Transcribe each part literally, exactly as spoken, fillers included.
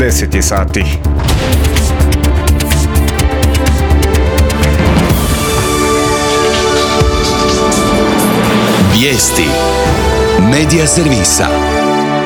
deset je sati. Vijesti Medija servisa.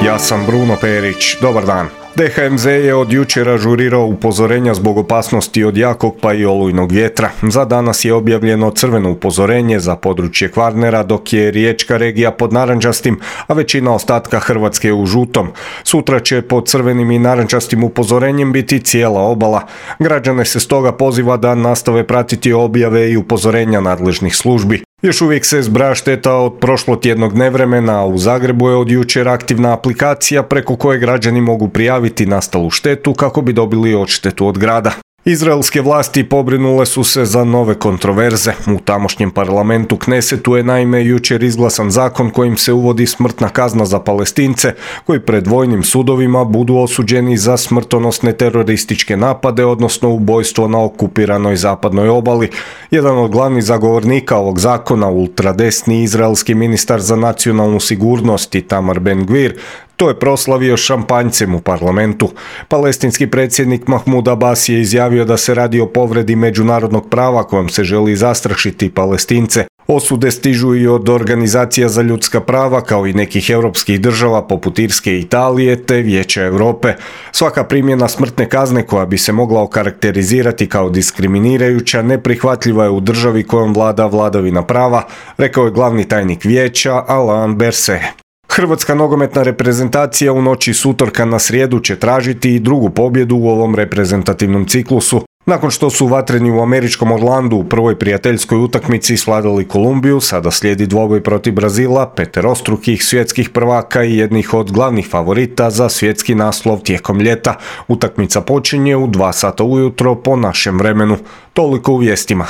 Ja sam Bruno Perić. Dobar dan. D H M Z je od jučer ažurirao upozorenja zbog opasnosti od jakog pa i olujnog vjetra. Za danas je objavljeno crveno upozorenje za područje Kvarnera, dok je riječka regija pod narančastim, a većina ostatka Hrvatske je u žutom. Sutra će pod crvenim i narančastim upozorenjem biti cijela obala. Građane se stoga poziva da nastave pratiti objave i upozorenja nadležnih službi. Još uvijek se zbraja šteta od prošlotjednog nevremena, a u Zagrebu je od jučer aktivna aplikacija preko koje građani mogu prijaviti nastalu štetu kako bi dobili odštetu od grada. Izraelske vlasti pobrinule su se za nove kontroverze. U tamošnjem parlamentu Knesetu je naime jučer izglasan zakon kojim se uvodi smrtna kazna za Palestince koji pred vojnim sudovima budu osuđeni za smrtonosne terorističke napade, odnosno ubojstvo na okupiranoj zapadnoj obali. Jedan od glavnih zagovornika ovog zakona, ultradesni izraelski ministar za nacionalnu sigurnost Itamar Ben-Gvir, to je proslavio šampanjcem u parlamentu. Palestinski predsjednik Mahmud Abbas je izjavio da se radi o povredi međunarodnog prava kojom se želi zastrašiti Palestince. Osude stižu i od organizacija za ljudska prava kao i nekih europskih država poput Irske i Italije te Vijeća Europe. Svaka primjena smrtne kazne koja bi se mogla okarakterizirati kao diskriminirajuća neprihvatljiva je u državi kojom vlada vladavina prava, rekao je glavni tajnik Vijeća Alain Berset. Hrvatska nogometna reprezentacija u noći s utorka na srijedu će tražiti i drugu pobjedu u ovom reprezentativnom ciklusu. Nakon što su vatreni u američkom Orlandu u prvoj prijateljskoj utakmici svladali Kolumbiju, sada slijedi dvoboj protiv Brazila, peterostrukih svjetskih prvaka i jednih od glavnih favorita za svjetski naslov tijekom ljeta. Utakmica počinje u dva sata ujutro po našem vremenu. Toliko u vijestima.